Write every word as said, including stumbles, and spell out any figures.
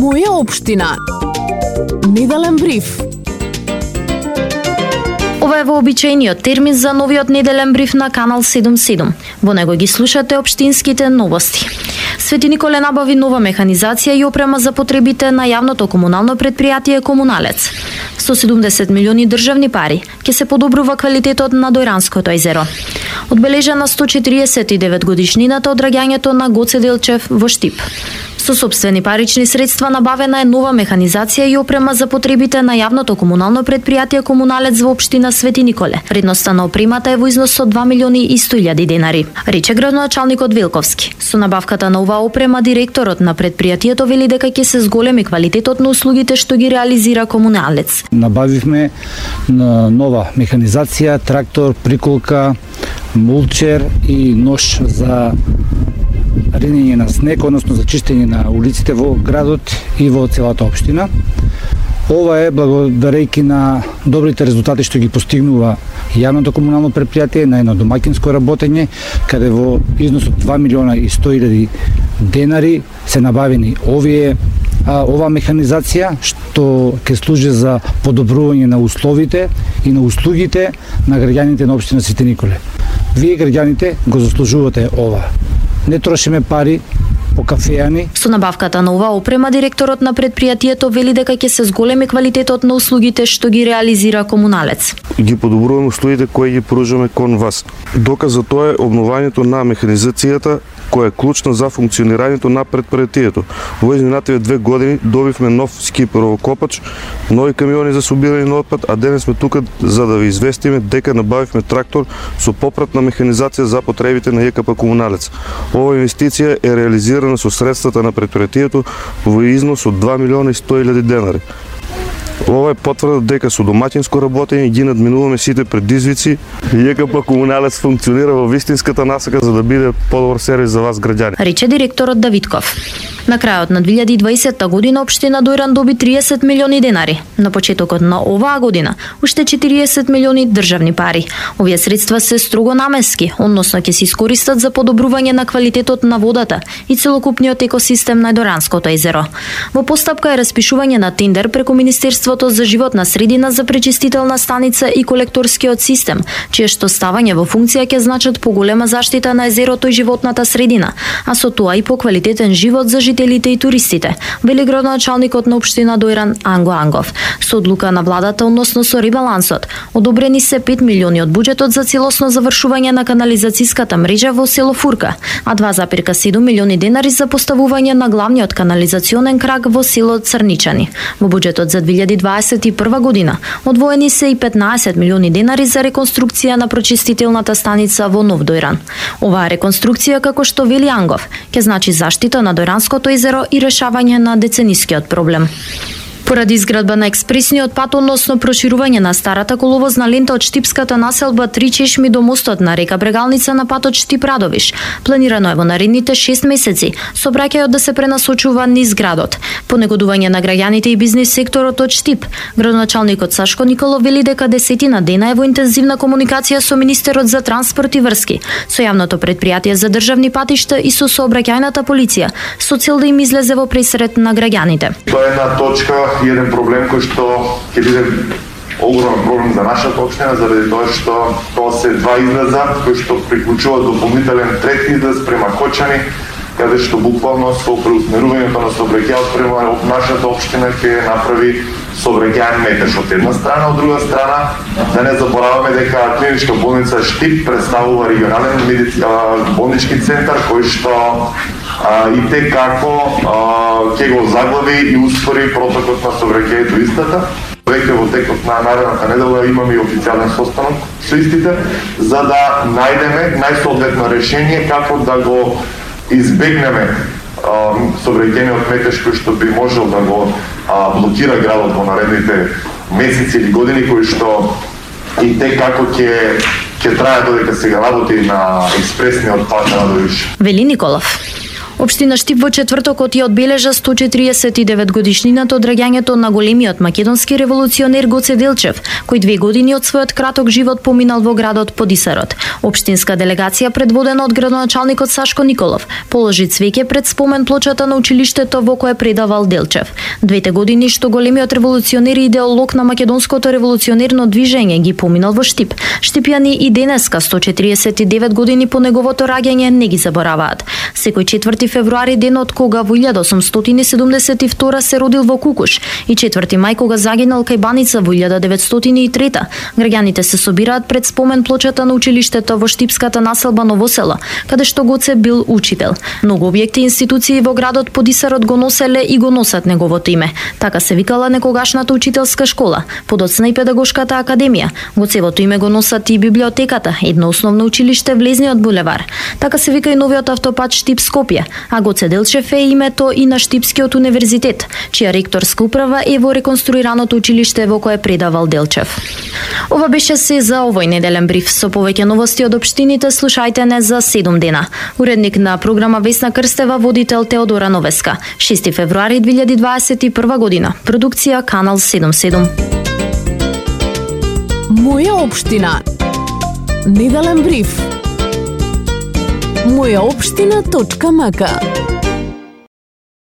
Моја општина. Неделен бриф. Ова е вообичаениот термин за новиот неделен бриф на Канал седум седум. Во него ги слушате општинските новости. Свети Николе набави нова механизација и опрема за потребите на јавното комунално предпријатие Комуналец. Со седумдесет милиони државни пари ќе се подобрува квалитетот на Дојранското езеро. Одбележана сто четириесет и девет годишнината од раѓањето на Гоце Делчев во Штип. Со сопствени парични средства набавена е нова механизација и опрема за потребите на јавното комунално предпријатие Комуналец во општина Свети Николе. Вредноста на опремата е во износ од два милиони и сто илјади денари, рече градоначалникот Велковски. Со набавката на оваа опрема директорот на предпријатието вели дека ќе се зголеми квалитетот на услугите што ги реализира Комуналец. Набавивме нова механизација, трактор, приколка, мулчер и нож за ренење на снег, односно за чистење на улиците во градот и во целата општина. Ова е благодарејќи на добрите резултати што ги постигнува јавното комунално предпријатие на едно домаќинско работење, каде во износ од два милиона и сто илјади денари се набавени овие а, ова механизација што ќе служи за подобрување на условите и на услугите на граѓаните на општина Свети Николе. Вие граѓаните го заслужувате ова. Не трошиме пари по кафејани. Со набавката на оваа опрема директорот на предпријатието вели дека ќе се зголеми квалитетот на услугите што ги реализира Комуналец. Ги подобруваме услугите кои ги поружаме кон вас. Доказ за тоа е обновањето на механизацијата која е клучна за функционирањето на предпријатието. Во изминативе две години добивме нов скиперовокопач, нови камиони за собирање на отпад, а денес сме тука за да ви известиме дека набавивме трактор со попратна механизација за потребите на ЈКП Комуналец. Ова инвестиција е реализирана со средствата на предпријатието во износ од два милиона и сто илјади денари. Ова е потврда дека со домаќинско работење ги надминуваме сите предизвици и ЈКП Комуналец функционира во вистинската насока за да биде подобар сервис за вас граѓани, рече директорот Давидков. На крајот на две илјади и дваесетта година општина Дојран доби триесет милиони денари. На почетокот на оваа година уште четириесет милиони државни пари. Овие средства се строго наменски, односно ќе се искористат за подобрување на квалитетот на водата и целокупниот екосистем на Дојранското езеро. Во постапка е распишување на тендер преку Министерството за животна средина за пречистителна станица и колекторскиот систем, чие што ставање во функција ќе значат поголема заштита на езерото и животната средина, а со тоа и по квалитетен живот за жителите и туристите, вели градоначалникот на општина Дојран Анго Ангов. Со одлука на владата, односно со ребалансот, одобрени се пет милиони од буџетот за целосно завршување на канализацијската мрежа во село Фурка, а два зарез седум милиони денари за поставување на главниот канализационен крак во село Црничани. Во буџетот за две илјади дваесет и прва година одвоени се и петнаесет милиони денари за реконструкција на прочистителната станица во Нов Дојран. Оваа реконструкција, како што вели Ангов, ќе значи заштита на Дојранското езеро и решавање на деценискиот проблем. Поради изградба на експресниот пат, односно проширување на старата коловозна лента од Штипската населба Три чешми до мостот на река Брегалница на патот Штип-Радовиш, планирано е во наредните шест месеци сообраќајот да се пренасочува низ градот. По негодување на граѓаните и бизнис секторот од Штип, градоначалникот Сашко Николов вели дека десетина дена е во интензивна комуникација со министерот за транспорт и врски, со јавното предпријатие за државни патишта и со сообраќајната полиција, со цел да им излезе во пресрет на граѓаните. Тоа е една точка и еден проблем кој што ќе биде огромен проблем за нашата општина, заради тоа што тоа се два излеза кои што приклучуваат дополнителен трет излез према Кочани, каде што буквално со преусмерувањето на сообраќајот према нашата општина ќе направи сообраќајен метеж од една страна, од друга страна да не забораваме дека клиничка болница Штип представува регионален медицински болнички центар кој што а, и те како ќе го заглави и успори протокот на сообраќајето истата. Веќе во текот на наредната недела имаме и официјален состанок со истите за да најдеме најсоодветно решение како да го избегнеме сообраќајниот метеж кој што би можел да го а, блокира градот во наредните месеци или години, кои што и те како ќе ќе трае додека се работи на експресниот пат на Радовиш. Вели Николов. Општина Штип во четвртокот ја одбележа сто четириесет и девет годишнината од раѓањето на големиот македонски револуционер Гоце Делчев, кој две години од својот краток живот поминал во градот Подисарот. Општинска делегација предводена од градоначалникот Сашко Николов положи цвеќе пред спомен плочата на училиштето во кое предавал Делчев. Двете години што големиот револуционер и идеолог на македонското револуционерно движење ги поминал во Штип, штипјани и денеска сто четириесет и девет години по неговото раѓање не ги забораваат. Секој четврти февруари, денот кога во илјада осумстотини и седумдесет и втора се родил во Кукуш, и четврти мај кога загинал кај Баница во илјада деветстотини и трета, граѓаните се собираат пред спомен плочата на училиштето во штипската населба Ново село, каде што Гоце бил учител. Многу објекти и институции во градот Подисарот го носеле и го носат неговото име. Така се викала некогашната учителска школа, подоцна и педагошката академија. Гоцевото име го носат и библиотеката, едно основно училиште Влезниот булевар. Така се вика и новиот автопат Штип Скопје, а Гоце Делчев е името и на Штипскиот универзитет, чија ректорска управа е во реконструираното училиште во кое предавал Делчев. Ова беше се за овој неделен бриф. Со повеќе новости од општините слушајте не за седум дена. Уредник на програма Весна Крстева, водител Теодора Новеска. шести февруари две илјади дваесет и прва година. Продукција Канал седумдесет и седум. Моја општина. Неделен бриф. моја општина точка м к